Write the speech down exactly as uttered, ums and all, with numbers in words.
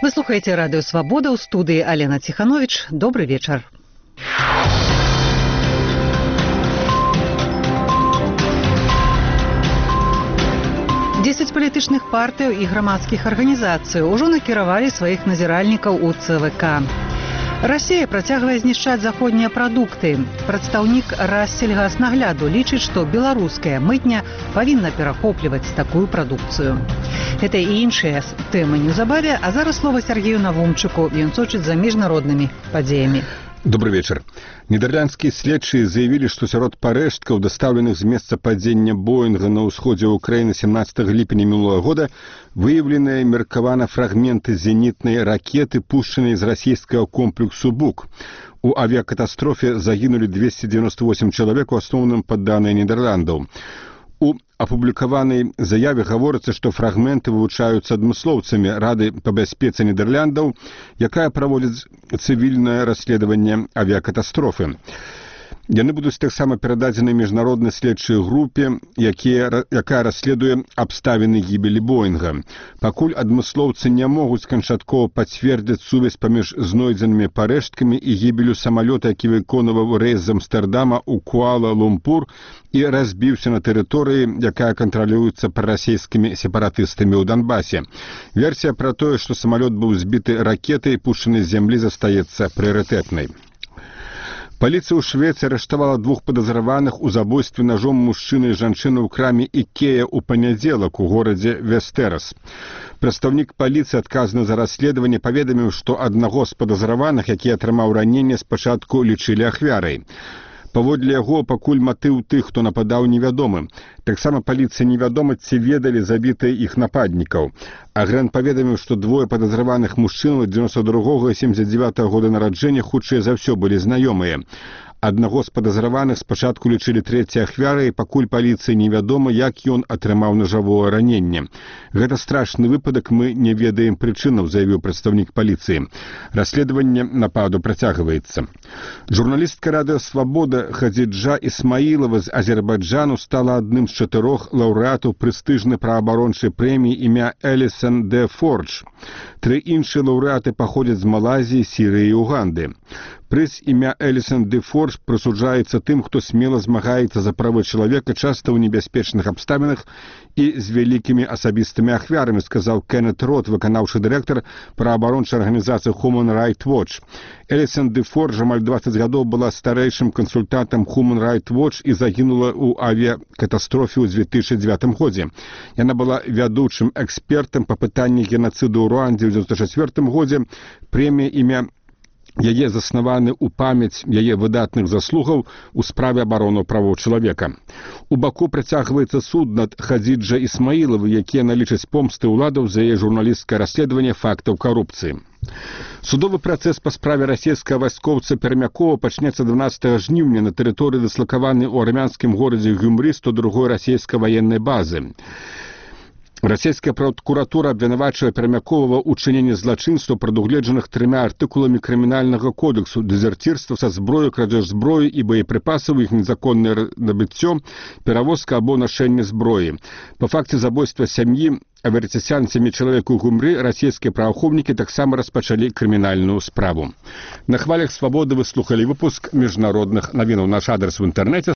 Вы слухаете радио «Свобода», у студии Алена Тиханович. Добрый вечер. Дзесяць палітычных партый і грамадскіх арганізацый ужо накіравалі сваіх назіральнікаў у цэ вэ ка. Расія працягвае знішчаць заходнія прадукты. Прадстаўнік Рассельгаснагляду лічыць, што беларуская мытня павінна перахопліваць такую прадукцыю. Гэта і іншыя тэмы неўзабаве, а зараз слова Сергею Навумчыку, ён сочыць за міжнароднымі падзеямі. Добрый вечер. Нидерландские следчие заявили, что сярод парэшткаў, дастаўленых з месца падзення Боинга на ўсходзе Украины семнадцатого ліпеня мінулага года, выявленыя меркавана фрагменты зенітнай ракеты, пушчанай з расійскага комплексу «Бук». У авиакатастрофе загинули двести девяносто восемь человек, у асноўным падданыя Нідерландаў. У апублікаванай заяве гаворыцца, што фрагменты вывучаюцца адмыслоўцамі Рады па бяспецы Нідерландаў, якая праводзіць цывільнае расследаванне авіакатастрофы. Яны будуць таксама перададзены міжнароднай следчай групе, якія, якая расследуе абставіны гібелі Боинга. Пакуль адмыслоўцы не могуць канчаткова пацвердзіць сувязь паміж знойдзенымі парэшткамі і гібелю самалёта, які выконваў рэйс з Амстэрдама ў Куала-Лумпур і разбіўся на тэрыторыі, якая кантралюецца прарасійскімі сепаратыстамі ў Донбасе. Версія пра тое, што самалёт быў збіты ракетай, пушчанай з зямлі, застаецца прыярытэтнай. Паліцыя ў Швецыі арыштавала двух падазраваных у забойстве ножом мужчыны і жанчыны ў краме Ікея ў панядзелак у горадзе Вестерас. Прадстаўнік паліцыі, адказны за расследаванне, паведаміў, што аднаго з падазраваных, які атрымаў раненне, спачатку лічылі ахвярай. Паводле яго, пакуль матыў тых, хто нападаў, невядомы. Таксама паліцыя невядома, ці ведалі забітыя іх нападнікаў. Агент паведаміў, што двое падазраваных мужчынаў дзевяносто другога і семьдесят девятого года нараджэння хутчэй за ўсё былі знаёмыя. Аднаго з падазраваных спачатку лічылі трэцяй ахвярай, пакуль паліцыі невядома, як ён атрымаў нажавое раненне. Гэта страшны выпадак, мы не ведаем прычынаў, заявіў прадстаўнік паліцыі. Расследаванне нападу працягваецца. Журналістка радыё «Свобода» Хадзіджа Ісмаілова з Азербайджану стала адным з чатырох лаўрэатаў прэстыжнай праваабарончай прэміі імя Элісон де Фордж. Тры іншыя лаўрэаты паходзяць з Малайзіі, Сірыі і Уганды. Прыз імя Элісон де Фордж прысуджаецца тым, хто смела змагаецца за правы чалавека, часта ў небяспечных абставінах і з вялікімі асабістымі ахвярамі, сказаў Кеннет Рот, выканаўчы дырэктар праваабарончай арганізацыі Human Rights Watch. Элісон де Фордж амаль дваццаць гадоў была старэйшым кансультантам Human Rights Watch і загінула ў авіякатастрофе ў две тысячы дзевятым годзе. Яна была вядучым экспертам па пытанні генацыду ў Руандзе ў дзевяносто чацвёртым годзе. Прэмія імя яе заснаваны ў памяць яе выдатных заслугаў у справе абароны правоў чалавека. У Баку працягваецца суд над Хадзіджай Ісмаілавай, якія налічаць помсты ўладаў за яе журналісцкае расследаванне фактаў карупцыі. Судовы працэс па справе расійскага вайскоўца Пермякова пачнецца дванаццатага жніўня на тэрыторыі дыслакаванай у армянскім горадзе Гюмры сто другой расійскай ваеннай базы. Расійская прокуратура абвінавачвае Пермякова ў чыненні злачынстваў, прадугледжаных трыма артыкуламі крымінальнага кодексу: дэзерцірства са зброю, крадзеж зброі і боепрыпасаў, іх незаконнае набыццё, перавозка або нашэнне зброі. Па факце забойства сям'і аверцісян сямі чалавек у Гюмры расійскія праваахоўнікі таксама распачалі крымінальную справу. На хвалях «Свободы» вы слухалі выпуск міжнародных навінаў. Наш адрес в інтэрнэце